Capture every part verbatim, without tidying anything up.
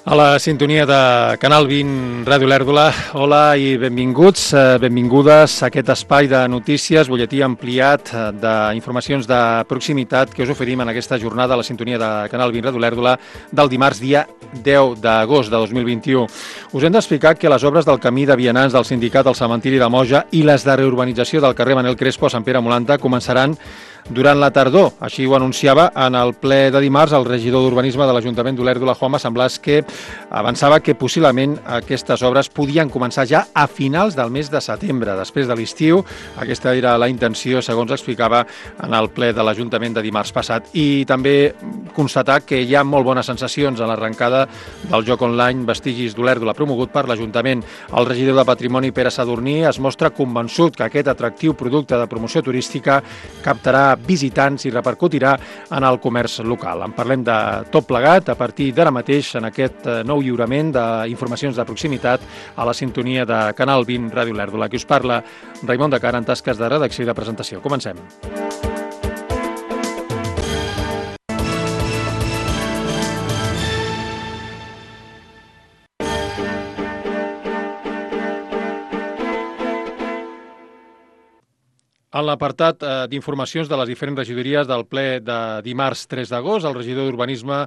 A la sintonia de Canal vint, Ràdio Lèrdula, hola i benvinguts, benvingudes a aquest espai de notícies, butlletí ampliat d'informacions de proximitat que us oferim en aquesta jornada a la sintonia de Canal vint, Ràdio Lèrdula, del dimarts dia deu d'agost de dos mil vint-i-u. Us hem d'explicar que les obres del camí de vianants del sindicat al cementiri de Moja i les de reurbanització del carrer Manel Crespo a Sant Pere Molanta començaran durant la tardor. Així ho anunciava en el ple de dimarts el regidor d'Urbanisme de l'Ajuntament d'Olèrdola, Juanma Samblàs, que avançava que possiblement aquestes obres podien començar ja a finals del mes de setembre, després de l'estiu. Aquesta era la intenció, segons explicava en el ple de l'Ajuntament de dimarts passat. I també constatar que hi ha molt bones sensacions a l'arrencada del joc online Vestigis d'Olèrdola, promogut per l'Ajuntament. El regidor de Patrimoni, Pere Sadurní, es mostra convençut que aquest atractiu producte de promoció turística captarà visitants i repercutirà en el comerç local. En parlem de tot plegat a partir d'ara mateix en aquest nou lliurament d'informacions de proximitat a la sintonia de Canal vint, Ràdio Lèrdula. Qui us parla, Raimon de Cara, en tasques de redacció i de presentació. Comencem. En l'apartat d'informacions de les diferents regidories del ple de dimarts tres d'agost, el regidor d'Urbanisme,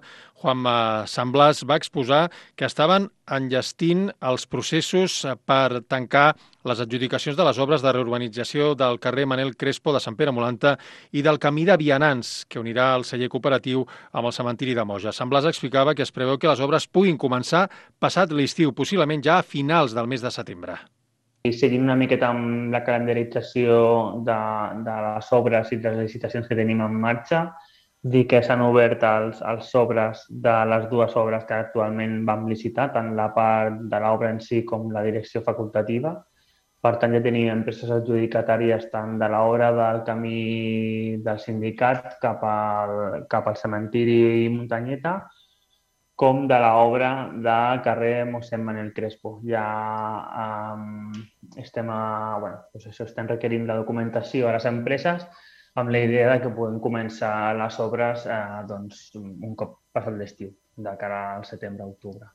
Juanma Samblàs, va exposar que estaven enllestint els processos per tancar les adjudicacions de les obres de reurbanització del carrer Manel Crespo de Sant Pere Molanta i del camí de vianants, que unirà el celler cooperatiu amb el cementiri de Moja. Samblàs explicava que es preveu que les obres puguin començar passat l'estiu, possiblement ja a finals del mes de setembre. I seguint una miqueta amb la calendarització de, de les obres i de les licitacions que tenim en marxa, dir que s'han obert els, els sobres de les dues obres que actualment vam licitar, tant la part de l'obra en si com la direcció facultativa. Per tant, ja tenim empreses adjudicatàries tant de l'obra del camí del sindicat cap al, cap al cementiri Muntanyeta, com de l'obra del carrer Mossèn Manel Crespo. Ja um, estem, a, bueno, doncs això, estem requerint la documentació a les empreses amb la idea de que puguem començar les obres eh, doncs, un cop passat l'estiu, de cara al setembre-octubre.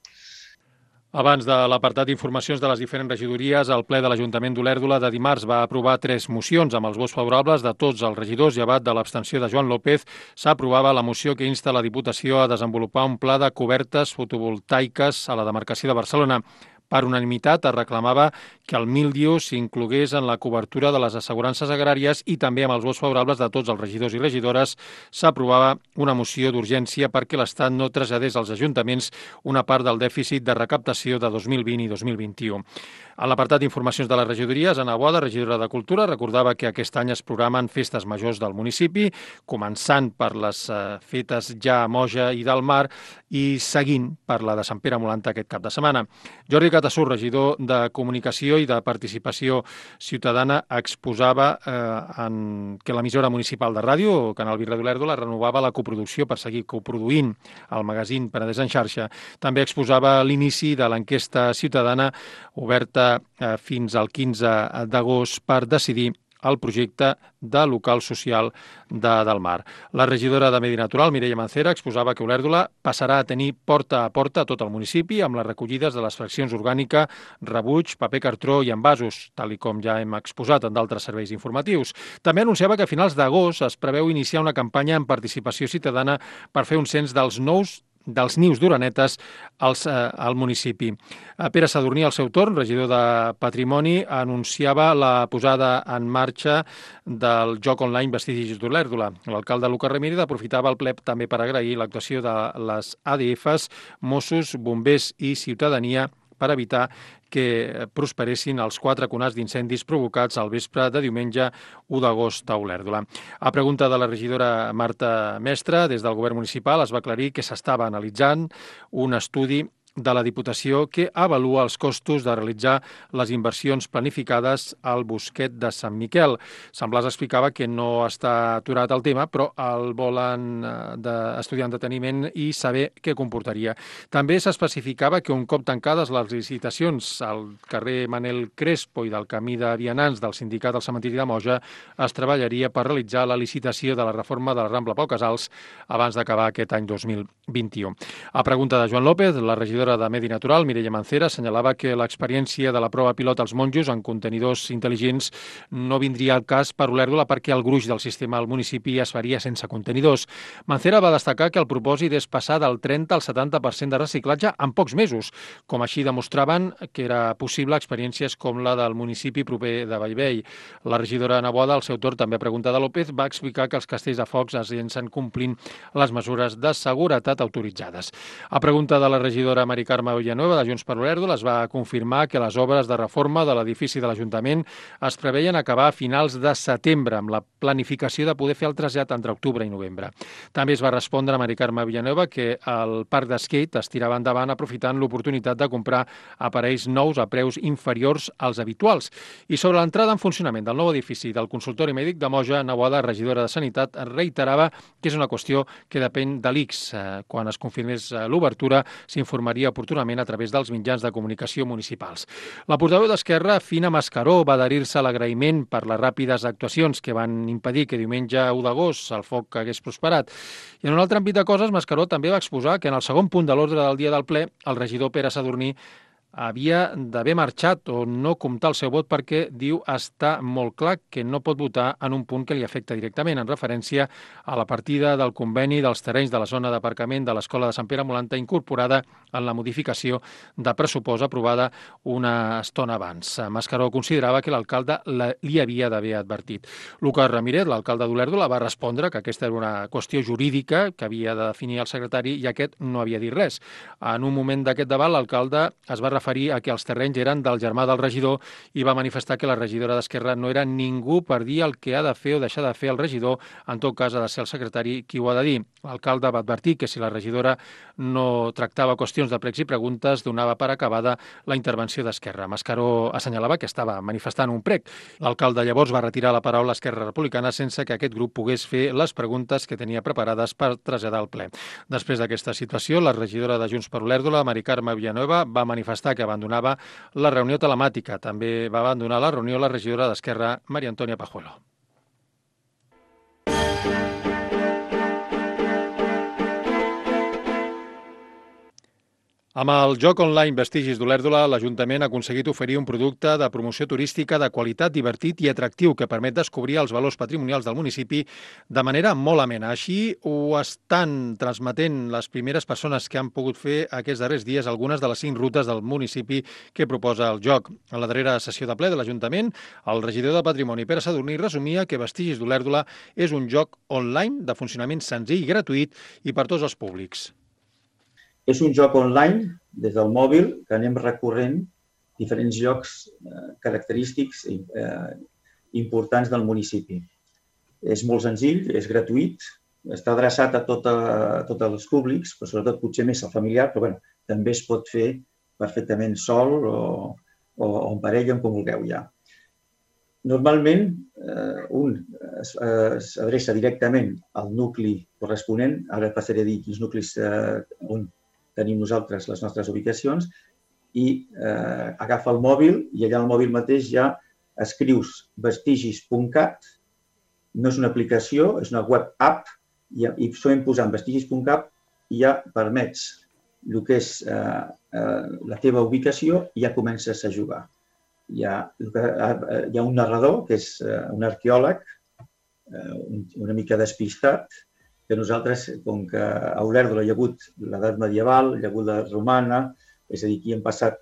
Abans de l'apartat d'informacions de les diferents regidories, el ple de l'Ajuntament d'Olèrdola de dimarts va aprovar tres mocions amb els vots favorables de tots els regidors, llevat de l'abstenció de Joan López. S'aprovava la moció que insta la Diputació a desenvolupar un pla de cobertes fotovoltaiques a la demarcació de Barcelona. Per unanimitat es reclamava que el míldiu s'inclogués en la cobertura de les assegurances agràries i també amb els vots favorables de tots els regidors i regidores s'aprovava una moció d'urgència perquè l'Estat no traslladés als ajuntaments una part del dèficit de recaptació de dos mil vint i dos mil vint-i-u. En l'apartat d'informacions de les regidories, Anna Boada, regidora de Cultura, recordava que aquest any es programen festes majors del municipi, començant per les eh, fetes ja a Moja i del Mar i seguint per la de Sant Pere Molanta aquest cap de setmana. Jordi Catassur, regidor de Comunicació i de Participació Ciutadana, exposava eh, en que l'emissora municipal de ràdio, Canal vint, Ràdio Lèrdula, renovava la coproducció per seguir coproduint el magazín Penedès en xarxa. També exposava l'inici de l'enquesta ciutadana oberta eh, fins al quinze d'agost per decidir el projecte de local social de Del Mar. La regidora de Medi Natural, Mireia Mancera, exposava que Olèrdola passarà a tenir porta a porta a tot el municipi amb les recollides de les fraccions orgànica, rebuig, paper cartró i envasos, tal i com ja hem exposat en d'altres serveis informatius. També anunciava que a finals d'agost es preveu iniciar una campanya en participació ciutadana per fer un cens dels nous dels nius d'orenetes als, eh, al municipi. Pere Sadurní, al seu torn, regidor de Patrimoni, anunciava la posada en marxa del joc online Vestigis d'Olèrdola. L'alcalde Lucas Ramírez aprofitava el ple també per agrair l'actuació de les A D Fs, Mossos, Bombers i Ciutadania per evitar que prosperessin els quatre conats d'incendis provocats al vespre de diumenge u d'agost a Olèrdola. A pregunta de la regidora Marta Mestre, des del govern municipal es va aclarir que s'estava analitzant un estudi de la Diputació que avalua els costos de realitzar les inversions planificades al Bosquet de Sant Miquel. Samblàs explicava que no està aturat el tema, però el volen estudiar en deteniment i saber què comportaria. També s'especificava que un cop tancades les licitacions al carrer Manel Crespo i del camí de vianants del sindicat al cementiri de Moja, es treballaria per realitzar la licitació de la reforma de la Rambla Pau Casals abans d'acabar aquest any dos mil vint-i-u. A pregunta de Joan López, la regidora regidora de Medi Natural, Mireia Mancera, assenyalava que l'experiència de la prova pilot als monjos en contenidors intel·ligents no vindria al cas per Olèrdola perquè el gruix del sistema al municipi es faria sense contenidors. Mancera va destacar que el propòsit és passar del trenta al setanta per cent de reciclatge en pocs mesos, com així demostraven que era possible experiències com la del municipi proper de Bellvei. La regidora Ana Boada, al seu torn, també a pregunta de López, va explicar que els castells de focs es llencen complint les mesures de seguretat autoritzades. A pregunta de la regidora Mari Carme Villanueva, de Junts per Olèrdola, es va confirmar que les obres de reforma de l'edifici de l'Ajuntament es preveien acabar a finals de setembre, amb la planificació de poder fer el trasllat entre octubre i novembre. També es va respondre a Mari Carme Villanueva que el parc d'esquate es tirava endavant aprofitant l'oportunitat de comprar aparells nous a preus inferiors als habituals. I sobre l'entrada en funcionament del nou edifici del consultori mèdic de Moja, Ana Boada, regidora de Sanitat, reiterava que és una qüestió que depèn de l'I C S. Quan es confirmés l'obertura, s'informaria oportunament a través dels mitjans de comunicació municipals. La portaveu d'Esquerra, Fina Mascaró, va adherir-se a l'agraïment per les ràpides actuacions que van impedir que diumenge u d'agost el foc hagués prosperat. I en un altre àmbit de coses, Mascaró també va exposar que en el segon punt de l'ordre del dia del ple, el regidor Pere Sadurní havia d'haver marxat o no comptar el seu vot perquè, diu, està molt clar que no pot votar en un punt que li afecta directament, en referència a la partida del conveni dels terrenys de la zona d'aparcament de l'Escola de Sant Pere Molanta incorporada en la modificació de pressupost aprovada una estona abans. Mascaró considerava que l'alcalde li havia d'haver advertit. Lucas Ramírez, l'alcalde d'Olèrdola, va respondre que aquesta era una qüestió jurídica que havia de definir el secretari i aquest no havia dit res. En un moment d'aquest debat, l'alcalde es va referir a que els terrenys eren del germà del regidor i va manifestar que la regidora d'Esquerra no era ningú per dir el que ha de fer o deixar de fer el regidor, en tot cas ha de ser el secretari qui ho ha de dir. L'alcalde va advertir que si la regidora no tractava qüestions de pregs i preguntes, donava per acabada la intervenció d'Esquerra. Mascaró assenyalava que estava manifestant un prec. L'alcalde llavors va retirar la paraula a Esquerra Republicana sense que aquest grup pogués fer les preguntes que tenia preparades per traslladar al ple. Després d'aquesta situació, la regidora de Junts per Olèrdola, Mari Carme Villanueva, va manifestar que abandonava la reunió telemàtica. També va abandonar la reunió la regidora d'Esquerra, Maria Antònia Pajuelo. Amb el joc online Vestigis d'Olèrdola, l'Ajuntament ha aconseguit oferir un producte de promoció turística de qualitat, divertit i atractiu que permet descobrir els valors patrimonials del municipi de manera molt amena. Així ho estan transmetent les primeres persones que han pogut fer aquests darrers dies algunes de les cinc rutes del municipi que proposa el joc. En la darrera sessió de ple de l'Ajuntament, el regidor de Patrimoni, Pere Sadurní, resumia que Vestigis d'Olèrdola és un joc online de funcionament senzill i gratuït i per tots els públics. És un joc online, des del mòbil, que anem recorrent diferents llocs característics importants del municipi. És molt senzill, és gratuït, està adreçat a tots els públics, però sobretot potser més al familiar, però bé, també es pot fer perfectament sol o en parella, com vulgueu ja. Normalment, un s'adreça directament al nucli corresponent, ara passaré a dir quins nuclis on tenim nosaltres les nostres ubicacions, i agafa el mòbil i allà al mòbil mateix ja escrius vestigis punt cat, no és una aplicació, és una web app, i solem posar en vestigis punt cat i ja permets el que és la teva ubicació i ja comences a jugar. Hi ha un narrador, que és un arqueòleg, una mica despistat, que nosaltres, com que a Olèrdola hi ha hagut l'edat medieval, hi ha hagut la romana, és a dir, aquí han passat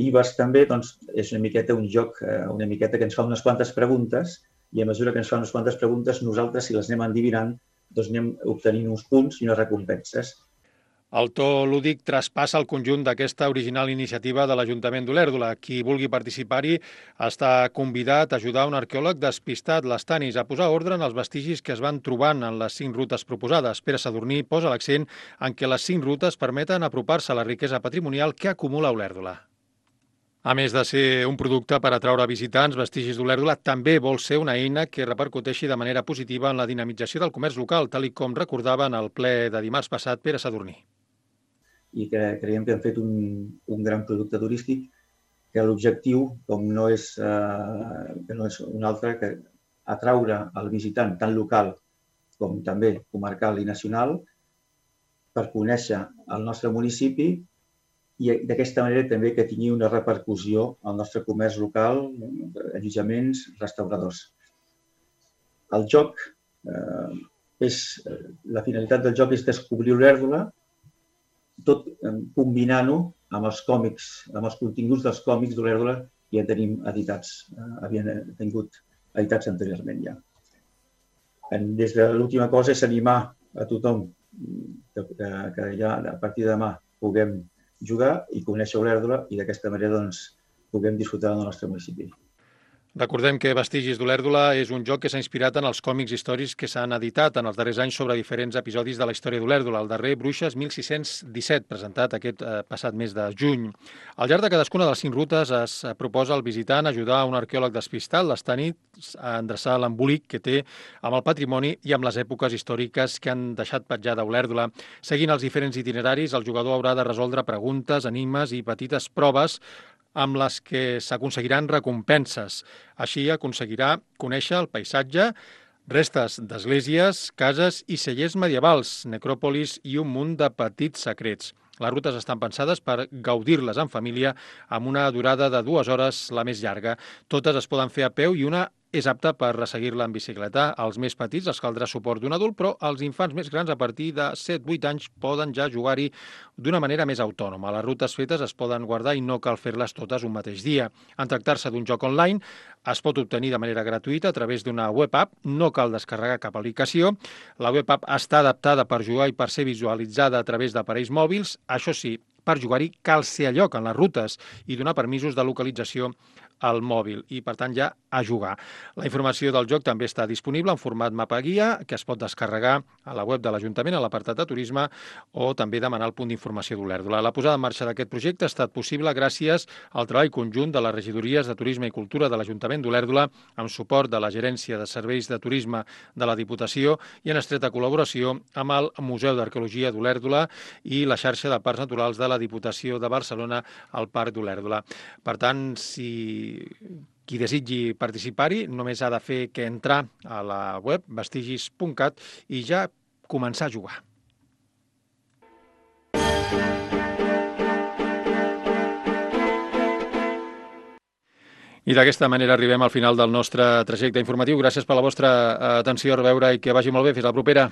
ibers també, doncs és una miqueta un joc, una miqueta que ens fa unes quantes preguntes i a mesura que ens fa unes quantes preguntes, nosaltres, si les anem endivinant, doncs anem obtenint uns punts i unes recompenses. El to lúdic traspassa el conjunt d'aquesta original iniciativa de l'Ajuntament d'Olèrdola. Qui vulgui participar-hi està convidat a ajudar un arqueòleg despistat, l'Estanis, a posar ordre en els vestigis que es van trobant en les cinc rutes proposades. Pere Sadurní posa l'accent en què les cinc rutes permeten apropar-se a la riquesa patrimonial que acumula Olèrdola. A més de ser un producte per atraure visitants, Vestigis d'Olèrdola també vol ser una eina que repercuteixi de manera positiva en la dinamització del comerç local, tal com recordava en el ple de dimarts passat Pere Sadurní. I que creiem que hem fet un gran producte turístic que l'objectiu, com no és un altre, que atraure el visitant tant local com també comarcal i nacional per conèixer el nostre municipi i d'aquesta manera també que tingui una repercussió al nostre comerç local, allotjaments, restauradors. El joc, eh, és, la finalitat del joc és descobrir l'Olèrdola, tot combinant-ho amb els còmics, amb els continguts dels còmics d'Olèrdola que ja tenim editats, eh, havien tingut editats anteriorment ja. Des de l'última cosa és animar a tothom que, que ja a partir de demà puguem jugar i conèixer Olèrdola i d'aquesta manera doncs, puguem disfrutar del nostre municipi. Recordem que Vestigis d'Olèrdola és un joc que s'ha inspirat en els còmics històrics que s'han editat en els darrers anys sobre diferents episodis de la història d'Olèrdola. El darrer, Bruixes, mil sis-cents disset, presentat aquest eh, passat mes de juny. Al llarg de cadascuna de les cinc rutes es proposa al visitant ajudar un arqueòleg despistat les nits a endreçar l'embolic que té amb el patrimoni i amb les èpoques històriques que han deixat petjada Olèrdola. Seguint els diferents itineraris, el jugador haurà de resoldre preguntes, enigmes i petites proves amb les que s'aconseguiran recompenses. Així aconseguirà conèixer el paisatge, restes d'esglésies, cases i cellers medievals, necròpolis i un munt de petits secrets. Les rutes estan pensades per gaudir-les en família amb una durada de dues hores, la més llarga. Totes es poden fer a peu i una és apta per resseguir-la en bicicleta. Als més petits els caldrà suport d'un adult, però els infants més grans a partir de set vuit anys poden ja jugar-hi d'una manera més autònoma. Les rutes fetes es poden guardar i no cal fer-les totes un mateix dia. En tractar-se d'un joc online, es pot obtenir de manera gratuïta a través d'una web app, no cal descarregar cap aplicació. La web app està adaptada per jugar i per ser visualitzada a través d'aparells mòbils. Això sí, per jugar-hi cal ser a lloc en les rutes i donar permisos de localització al mòbil i, per tant, ja a jugar. La informació del joc també està disponible en format mapa guia, que es pot descarregar a la web de l'Ajuntament, a l'apartat de turisme, o també demanar el punt d'informació d'Olèrdola. La posada en marxa d'aquest projecte ha estat possible gràcies al treball conjunt de les regidories de Turisme i Cultura de l'Ajuntament d'Olèrdola, amb suport de la Gerència de Serveis de Turisme de la Diputació i en estreta col·laboració amb el Museu d'Arqueologia d'Olèrdola i la xarxa de parcs naturals de la Diputació de Barcelona al Parc d'Olèrdola. Per tant, si qui desitgi participar-hi només ha de fer que entrar a la web vestigis punt cat i ja començar a jugar. I d'aquesta manera arribem al final del nostre trajecte informatiu. Gràcies per la vostra atenció, a reveure i que vagi molt bé. Fins la propera.